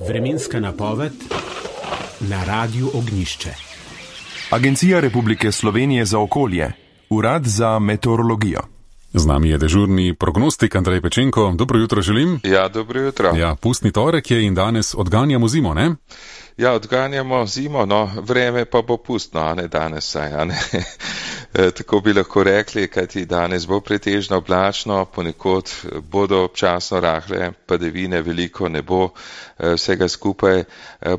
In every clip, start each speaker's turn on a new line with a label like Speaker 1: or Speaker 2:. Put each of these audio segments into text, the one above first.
Speaker 1: Vremenska napoved na Radiu Ognjišče.
Speaker 2: Agencija Republike Slovenije za okolje, Urad za meteorologijo.
Speaker 3: Z nami je dežurni prognostik Andrej Pečenko. Dobro jutro želim.
Speaker 4: Ja, dobro jutro.
Speaker 3: Ja, pustni torek je in danes odganjamo zimo, ne?
Speaker 4: Ja, odganjamo zimo, no, vreme pa bo pustno, a ne danes saj, a ne. Tako bi lahko rekli, kajti danes bo pretežno oblačno, ponekod bodo občasno rahle padavine, veliko ne bo vsega skupaj,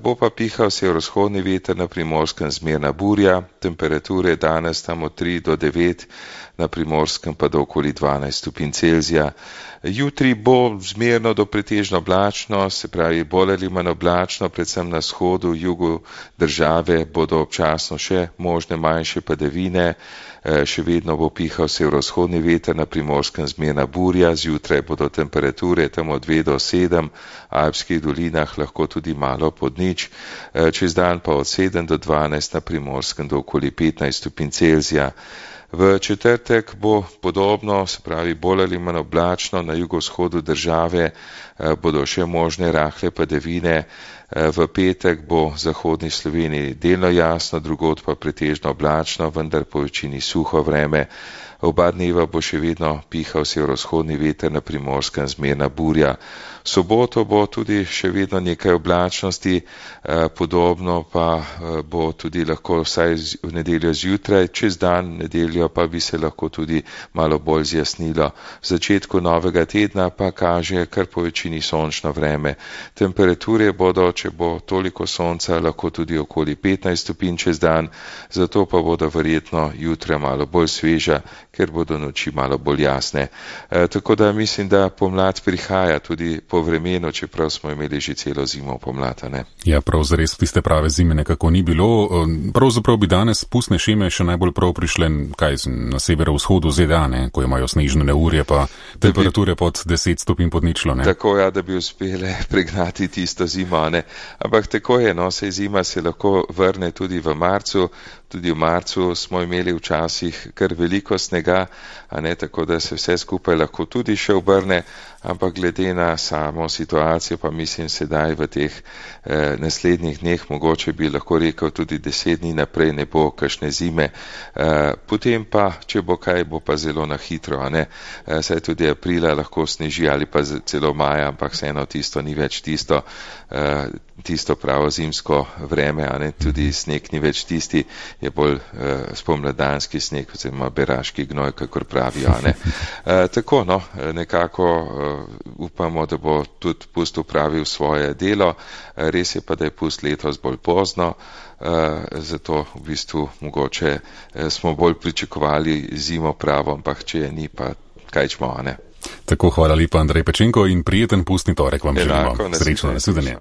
Speaker 4: bo pa pihal severovzhodni veter, na Primorskem zmerna burja, temperature danes tam od 3 do 9, na Primorskem pa do okoli 12 stopinj Celzija. Jutri bo zmerno do pretežno oblačno, se pravi bolj ali manj oblačno, predvsem na vzhodu, jugu države bodo občasno še možne manjše padavine, še vedno bo pihal severovzhodni veter, na Primorskem zmerna burja, zjutraj bodo temperature tam od 2 do 7, v alpskih dolinah lahko tudi malo pod nič, čez dan pa od 7 do 12, na Primorskem do okoli 15 stopinj Celzija. V četrtek bo podobno, se pravi bolj ali manj oblačno, na jugovzhodu države bodo še možne rahle padavine, v petek bo v zahodni Sloveniji delno jasno, drugod pa pretežno oblačno, vendar po večini suho vreme. Oba dneva bo še vedno pihal severovzhodni veter, na Primorskem zmerna burja. V soboto bo tudi še vedno nekaj oblačnosti, podobno pa bo tudi lahko vsaj v nedeljo zjutraj, čez dan nedeljo pa bi se lahko tudi malo bolj zjasnilo. V začetku novega tedna pa kaže kar po večini sončno vreme. Temperature bodo, če bo toliko sonca, lahko tudi okoli 15 stopinj čez dan, zato pa bodo verjetno jutra malo bolj sveža, ker bodo noči malo bolj jasne. Tako da mislim, da pomlad prihaja tudi po vremenu, čeprav smo imeli že celo zimo pomlad, ne? Ja,
Speaker 3: prav zares tiste prave zime nekako ni bilo. Pravzaprav bi danes pustne šeme še najbolj prav prišle na severovzhodu ZDA, ne? Ko imajo snežne neurje pa temperature pod 10 stopinj pod ničlo, ne?
Speaker 4: Tako ja, da bi uspele pregnati tisto zimo, ne? Ampak tako je, no, saj zima se lahko vrne tudi v marcu. Tudi v marcu smo imeli včasih kar veliko snega, a ne, tako da se vse skupaj lahko tudi še obrne, ampak glede na samo situacijo pa mislim sedaj v teh naslednjih dneh, mogoče bi lahko rekel tudi 10 dni naprej ne bo kakšne zime. Potem pa, če bo kaj, bo pa zelo na hitro, a ne. Saj tudi aprila lahko sneži ali pa celo maja, ampak vseeno tisto ni več tisto pravo zimsko vreme, a ne, tudi sneg ni več tisti, je bolj spomladanski sneg, oziroma beraški gnoj, kakor pravijo, a ne. Tako, no, nekako upamo, da bo tudi pust upravil svoje delo, res je pa, da je pust letos bolj pozno, zato v bistvu mogoče smo bolj pričakovali zimo pravo, ampak če je ni, pa kaj čmo, a ne.
Speaker 3: Tako, hvala lepa Andrej Pečenko in prijeten pustni torek vam želimo. Srečno, nasvidenje.